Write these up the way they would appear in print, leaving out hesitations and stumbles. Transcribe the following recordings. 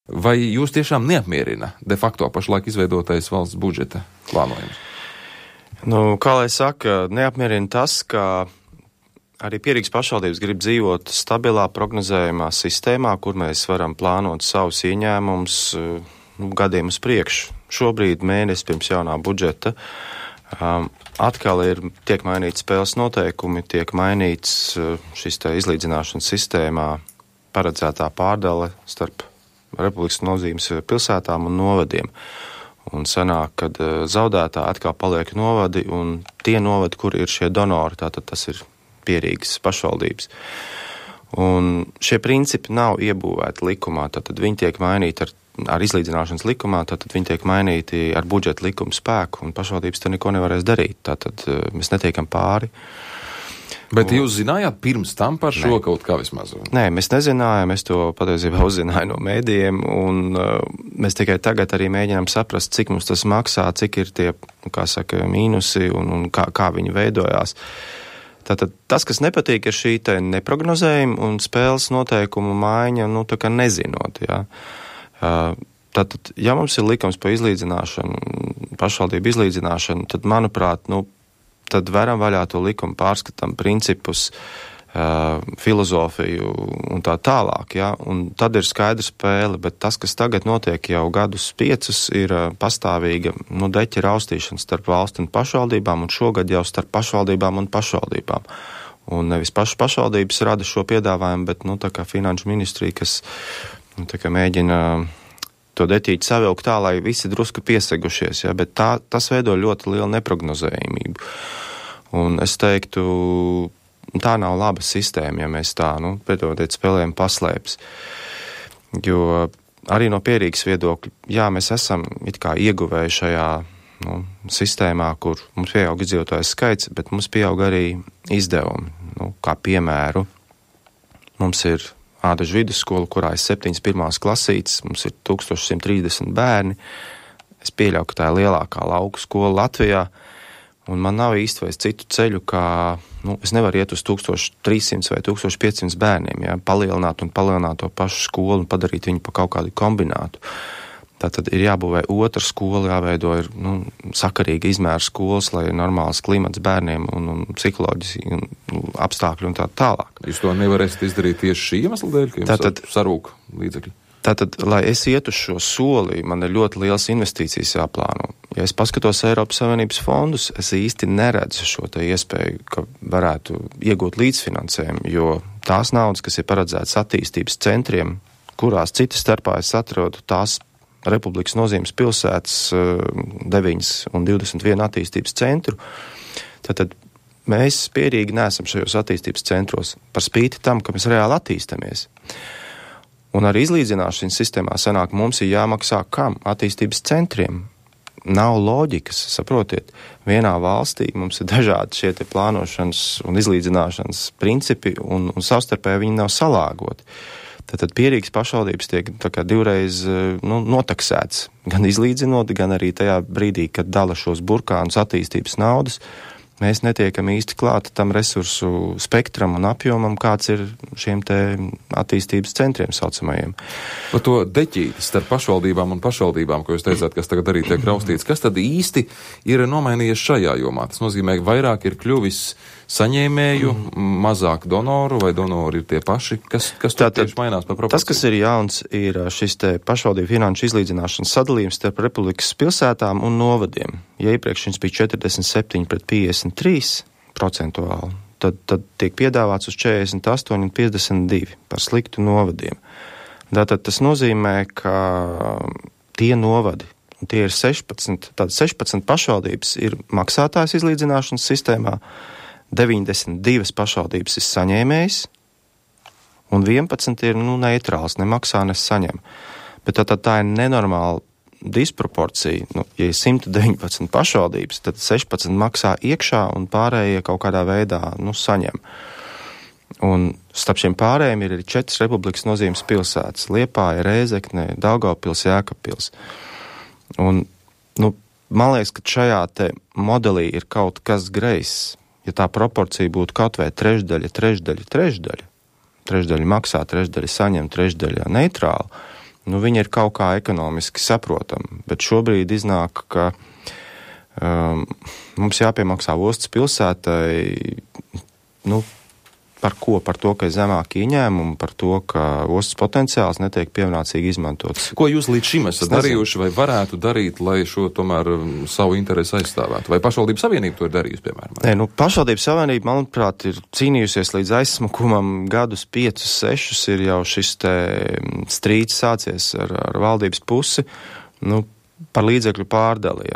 Vai jūs tiešām neapmierina de facto pašlaik izveidotais valsts budžeta plānojums? Kā lai saka, neapmierina tas, ka arī Pierīgas pašvaldības grib dzīvot stabilā, prognozējumā sistēmā, kur mēs varam plānot savus ieņēmumus gadiem uz priekšu. Šobrīd mēnesi pirms jaunā budžeta atkal tiek mainīts spēles noteikumi, tiek mainīts šis izlīdzināšanas sistēmā paredzētā pārdale starp republikas nozīmes pilsētām un novadiem. Un sanāk, kad zaudētā atkal paliek novadi, un tie novadi, kur ir šie donori, tātad tas ir Pierīgas pašvaldības. Un šie principi nav iebūvēti likumā, tātad viņi tiek mainīti ar izlīdzināšanas likumā, tātad viņi tiek mainīti ar budžeta likumu spēku, un pašvaldības te neko nevarēs darīt, tātad mēs netiekam pāri. Bet jūs zinājāt pirms tam par šo kaut kā vismaz? Nē, mēs nezinājām, es to patiesībā uzzināju no mēdījiem, un mēs tikai tagad arī mēģinām saprast, cik mums tas maksā, cik ir tie, mīnusi un kā viņi veidojās. Tātad tas, kas nepatīk, ir šī te neprognozējuma un spēles noteikumu maiņa, tā kā nezinot, jā. Tātad, ja mums ir likums par izlīdzināšanu, pašvaldību izlīdzināšanu, tad, manuprāt, tad veram vaļā to likumu, pārskatām principus, filozofiju un tā tālāk, ja? Un tad ir skaidra spēle, bet tas, kas tagad notiek jau gadus 5, ir pastāvīga, deķa raustīšana starp valsti un pašvaldībām, un šogad jau starp pašvaldībām un pašvaldībām. Un nevis pašvaldības rada šo piedāvājumu, bet, tā kā finanšu ministrija, kas mēģina to detīti savilkt tā, lai visi drusku piesegušies, ja? Bet tas veido ļoti lielu neprognozējumību. Un es teiktu, tā nav laba sistēma, ja mēs tā, piedodiet, spēlējam paslēpes. Jo arī no Pierīgas viedokļa, jā, mēs esam it kā ieguvēji šajā sistēmā, kur mums pieaug iedzīvotājs skaits, bet mums pieaug arī izdevumi. Kā piemēru, mums ir Ādažu vidusskola, kurā ir 7 pirmās klasītes, mums ir 1130 bērni. Es pieļauju, ka tā ir lielākā lauku skola Latvijā, un man nav īsti vairs citu ceļu, kā, es nevaru iet uz 1300 vai 1500 bērniem, ja, palielināt to pašu skolu un padarīt viņu pa kaut kādu kombinātu. Tātad ir jābūvē otra skola, jāveido ir sakarīga izmēra skolas, lai ir normāls klimats bērniem un psiholoģiski apstākļi un tā tālāk. Jūs to nevarēsiet izdarīt tieši šī iemesla dēļ, ka jums sarūk līdzekļi? Tātad, lai es ietu uz šo soli, man ir ļoti liels investīcijas jāplāno. Ja es paskatos Eiropas Savienības fondus, es īsti neredzu šo te iespēju, ka varētu iegūt līdzfinansējumu, jo tās naudas, kas ir paredzētas attīstības centriem, kurās citas starpā es atrodu tās Republikas nozīmes pilsētas 9 un 21 attīstības centru, tad mēs Pierīgi neesam šajos attīstības centros par spīti tam, ka mēs reāli attīstamies. Un arī izlīdzināšanas sistēmā sanāk, mums ir jāmaksā kam? Attīstības centriem. Nav loģikas, saprotiet. Vienā valstī mums ir dažādi šie te plānošanas un izlīdzināšanas principi, un savstarpēji viņi nav salāgoti. Tad Pierīgas pašvaldības tiek tā kā divreiz notaksēts, gan izlīdzinot, gan arī tajā brīdī, kad dala šos burkānus attīstības naudas, mēs netiekam īsti klāti tam resursu spektram un apjomam, kāds ir šiem te attīstības centriem saucamajiem. Par to deķīti starp pašvaldībām un pašvaldībām, ko jūs teicāt, kas tagad arī tiek raustīts, kas tad īsti ir nomainījies šajā jomā? Tas nozīmē, ka vairāk ir kļuvis saņēmēju, mazāk donoru, vai donori ir tie paši? Kas tur tieši mainās par proporciju? Tas, kas ir jauns, ir šis te pašvaldību finanšu izlīdzināšanas sadalījums starp republikas pilsētām un novadiem. Ja iepriekš viņš bija 47 pret 53 procentuāli, tad tiek piedāvāts uz 48 un 52 par sliktu novadiem. Tātad tas nozīmē, ka tie novadi, un tie ir 16 pašvaldības ir maksātājs izlīdzināšanas sistēmā, 92 pašvaldības ir saņēmējs, un 11 ir neitrāls, nemaksā, nesaņem. Bet tā ir nenormāla disproporcija. Ja ir 119 pašvaldības, tad 16 maksā iekšā un pārējie kaut kādā veidā saņem. Un starp šiem pārējiem ir arī 4 republikas nozīmes pilsētas – Liepāja, Rēzekne, Daugavpils, Jēkabpils. Un, man liekas, ka šajā te modelī ir kaut kas greizs. Ja tā proporcija būtu kaut vai trešdaļa, trešdaļa maksā, trešdaļa saņem, trešdaļa neitrāla, viņa ir kaut kā ekonomiski saprotama, bet šobrīd iznāk, ka mums jāpiemaksā ostas pilsētai, par ko? Par to, ka ir zemāki ieņēmumi, par to, ka ostas potenciāls netiek pienācīgi izmantots. Ko jūs līdz šim esat darījuši vai varētu darīt, lai šo tomēr savu interesi aizstāvētu? Vai pašvaldības savienība to ir darījusi, piemēram? Nē, pašvaldības savienība, manuprāt, ir cīnījusies līdz aizsmakumam gadus 5, 6, ir jau šis te strīds sācies ar valdības pusi, par līdzekļu pārdali,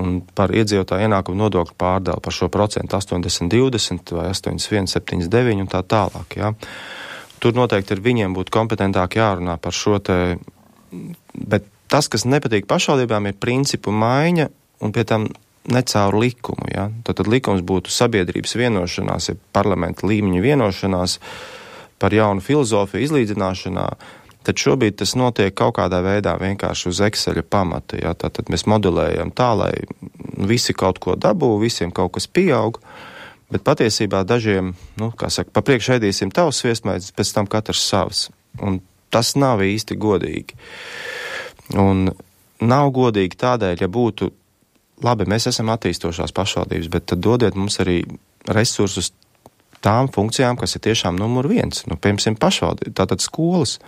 un par iedzīvotāju ienākumu nodokļu pārdali, par šo procentu 80-20 vai 81-79 un tā tālāk, Tur noteikti ir viņiem būtu kompetentāk jārunā par šo te, bet tas, kas nepatīk pašvaldībām, ir principu maiņa un pie tam ne caur likumu, Tad likums būtu sabiedrības vienošanās, ja parlamenta līmeņa vienošanās par jaunu filozofiju izlīdzināšanā. Tad šobrīd tas notiek kaut kādā veidā vienkārši uz Exceļa pamata. Tātad mēs modelējam tā, lai visi kaut ko dabū, visiem kaut kas pieaug, bet patiesībā dažiem, pa priekšu ēdīsim tavs sviestmaizi, pēc tam katrs savs. Un tas nav īsti godīgi. Un nav godīgi tādēļ, ja būtu, labi, mēs esam attīstošās pašvaldības, bet tad dodiet mums arī resursus tām funkcijām, kas ir tiešām numur 1. Piemēram, pašvaldība, tātad skolas.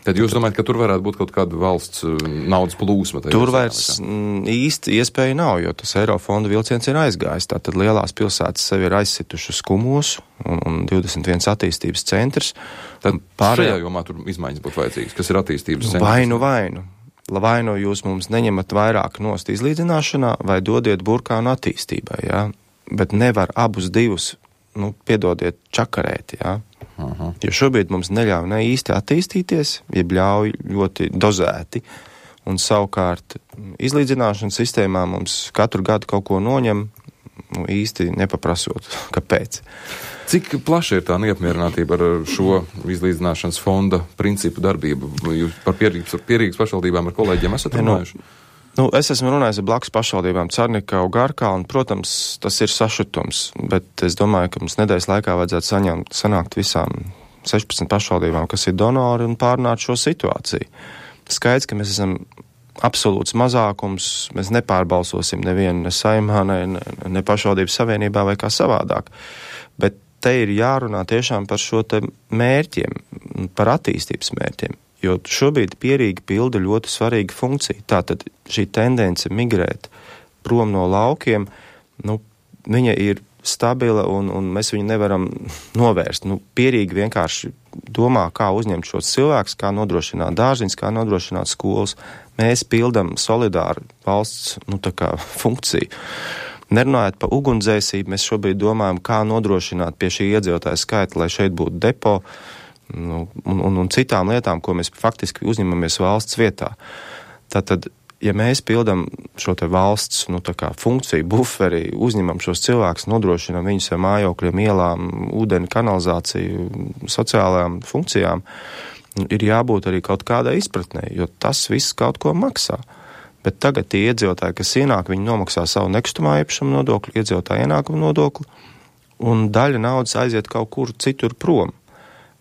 Tad jūs domājat, ka tur varētu būt kaut kāda valsts naudas plūsma? Tur vairs īsti iespēja nav, jo tas Eirofonda vilciens ir aizgājis. Tātad lielās pilsētas sevi ir aizsitušas Kumos un 21 attīstības centrs. Tad šajā jomā tur izmaiņas būtu vajadzīgas, kas ir attīstības centrs? Vainu. Vai nu jūs mums neņemat vairāk nost izlīdzināšanā, vai dodiet burkānu attīstībai, Bet nevar abus divus, piedodiet, čakarēt, Jo šobrīd mums neļauj ne īsti attīstīties, jeb ļauj ļoti dozēti, un savukārt izlīdzināšanas sistēmā mums katru gadu kaut ko noņem, īsti nepaprasot, kāpēc. Cik plaša ir tā neapmierinātība ar šo izlīdzināšanas fonda principu darbību? Jūs par Pierīgas pašvaldībām ar kolēģiem esat runājuši? Es esmu runājis ar blakus pašvaldībām Carnikau, Garkā, un, protams, tas ir sašutums, bet es domāju, ka mums nedēļas laikā vajadzētu sanākt visām 16 pašvaldībām, kas ir donori, un pārunāt šo situāciju. Skaidrs, ka mēs esam absolūts mazākums, mēs nepārbalsosim nevienu ne saimā, ne pašvaldības savienībā vai kā savādāk, bet te ir jārunā tiešām par šo te mērķiem, par attīstības mērķiem. Jo šobrīd Pierīga pilda ļoti svarīgu funkciju. Tātad šī tendence migrēt prom no laukiem, viņa ir stabila un mēs viņu nevaram novērst. Pierīga vienkārši domā, kā uzņemt šos cilvēkus, kā nodrošināt dārziņus, kā nodrošināt skolas. Mēs pildam solidāru valsts funkciju. Nerunājot par ugunsdzēsību, mēs šobrīd domājam, kā nodrošināt pie šī iedzīvotāja skaita, lai šeit būtu depo, un citām lietām, ko mēs faktiski uzņemamies valsts vietā. Tātad, ja mēs pildam šo te valsts funkciju, buferi, uzņemam šos cilvēkus, nodrošinam viņus ar mājokļiem, ielām, ūdeni, kanalizāciju, sociālajām funkcijām, ir jābūt arī kaut kādai izpratnē, jo tas viss kaut ko maksā. Bet tagad tie iedzīvotāji, kas ienāk, viņi nomaksā savu nekustamā īpašuma nodokli, iedzīvotāju ienākumu nodokli, un daļa naudas aiziet kaut kur citur prom.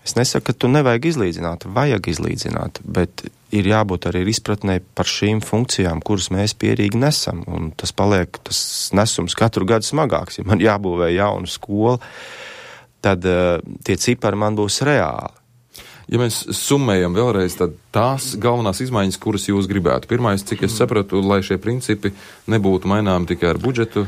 Es nesaku, ka tu nevajag izlīdzināt, vajag izlīdzināt, bet ir jābūt arī izpratnē par šīm funkcijām, kuras mēs Pierīgi nesam, un tas nesums katru gadu smagāks. Ja man jābūvē jaunu skolu, tad tie cipari man būs reāli. Ja mēs summējam vēlreiz, tad tās galvenās izmaiņas, kuras jūs gribētu. Pirmais, cik es sapratu, lai šie principi nebūtu maināmi tikai ar budžetu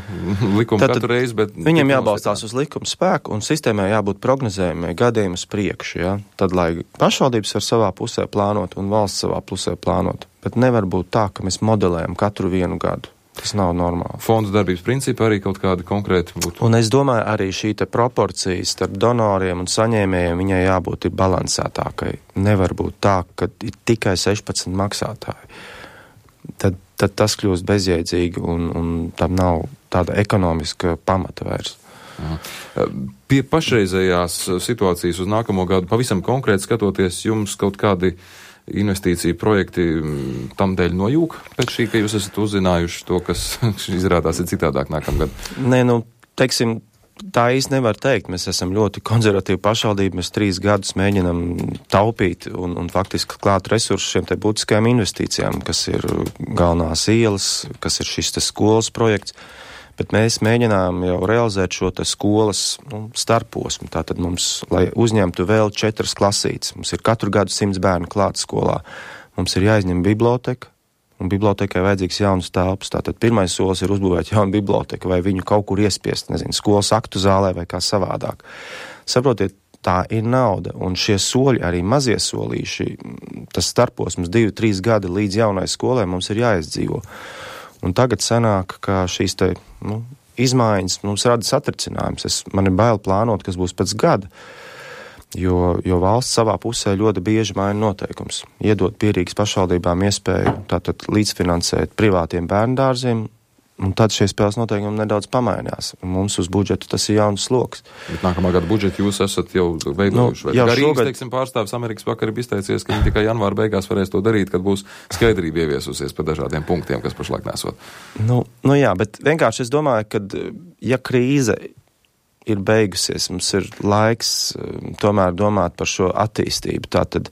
likumu katru reizi, bet... Viņiem jābalstās uz likumu spēku un sistēmai jābūt prognozējumai gadiem uz priekšu, Tad, lai pašvaldības var savā pusē plānot un valsts savā pusē plānot, bet nevar būt tā, ka mēs modelējam katru vienu gadu. Tas nav normāli. Fonda darbības principi arī kaut kādi konkrēti būtu. Un es domāju, arī šī te proporcija starp donoriem un saņēmējiem viņai jābūt ir balansētākai. Nevar būt tā, ka ir tikai 16 maksātāji. Tad tas kļūst bezjēdzīgi un tam nav tāda ekonomiska pamata vairs. Pie pašreizējās situācijas uz nākamo gadu pavisam konkrēti skatoties, jums kaut kādi investīciju projekti tam dēļ nojūg pēc šī, ka jūs esat uzzinājuši to, kas izrādās ir citādāk nākamgad? Nē, teiksim, Tā īsti nevar teikt. Mēs esam ļoti konservatīvi pašvaldība. Mēs 3 gadus mēģinam taupīt un faktiski klāt resursus šiem te būtiskajām investīcijām, kas ir galvenās ielas, kas ir šis te skolas projekts. Bet mēs mēģinām jau realizēt šo te skolas starposmu. Tātad mums, lai uzņemtu vēl 4 klasītes, mums ir katru gadu 100 bērnu klāt skolā. Mums ir jāizņem biblioteka. Un bibliotekai vajadzīgs jaunas telpas. Tātad pirmais solis ir uzbūvēt jaunu biblioteku vai viņu kaut kur iespiest, skolas aktu zālē vai kā savādāk. Saprotiet, tā ir nauda, un šie soļi, arī mazie solīši, tas starposms 2-3 gadi līdz jaunai skolai mums ir jāizdzīvo. Un tagad sanāk, ka šīs te, izmaiņas mums rada satricinājums. Man ir bail plānot, kas būs pēc gada. Jo valsts savā pusē ļoti bieži maina noteikums. Iedot pierīgas pašvaldībām iespēju tātad līdzfinansēt privātiem bērndārziem, un tad šie spēles noteikumi nedaudz pamainās. Mums uz budžetu tas ir jauns sloks. Bet nākamā gada budžetu jūs esat jau veidojuši. Rīgas, teiksim, pārstāvis Amerikas vakar ir izteicies, ka viņi tikai janvāra beigās varēs to darīt, kad būs skaidrība ieviesusies par dažādiem punktiem, kas pašlaik nesot. Jā, bet vienkārši es domāju, ka ja krīze ir beigusies, mums ir laiks tomēr domāt par šo attīstību. Tātad,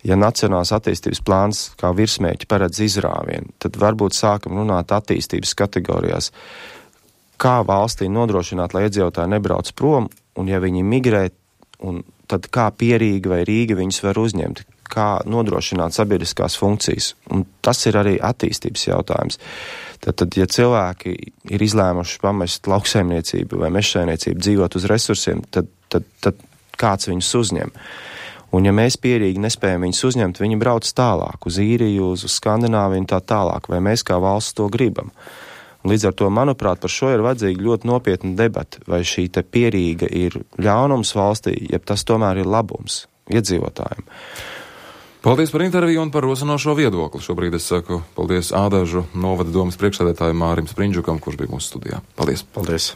ja nacionālās attīstības plāns kā virsmērķi paredz izrāvienu, tad varbūt sākam runāt attīstības kategorijās, kā valstī nodrošināt, lai iedzīvotāji nebrauc prom, un ja viņi migrē, tad kā Pierīga vai Rīga viņus var uzņemt, kā nodrošināt sabiedriskās funkcijas. Un tas ir arī attīstības jautājums. Tad, ja cilvēki ir izlēmuši pamest lauksaimniecību vai mežsaimniecību, dzīvot uz resursiem, tad kāds viņus uzņem. Un ja mēs Pierīgi nespējam viņus uzņemt, viņi brauc tālāk, uz Īriju, uz Skandināviju un tā tālāk, vai mēs kā valsts to gribam. Un līdz ar to, manuprāt, par šo ir vajadzīga ļoti nopietna debata, vai šī te Pierīga ir ļaunums valstī, ja tas tomēr ir labums iedzīvotājiem. Paldies par interviju un par rosinošo viedokli. Šobrīd es saku paldies Ādažu novada domas priekšsēdētājiem Mārim Sprindžukam, kurš bija mūsu studijā. Paldies! Paldies!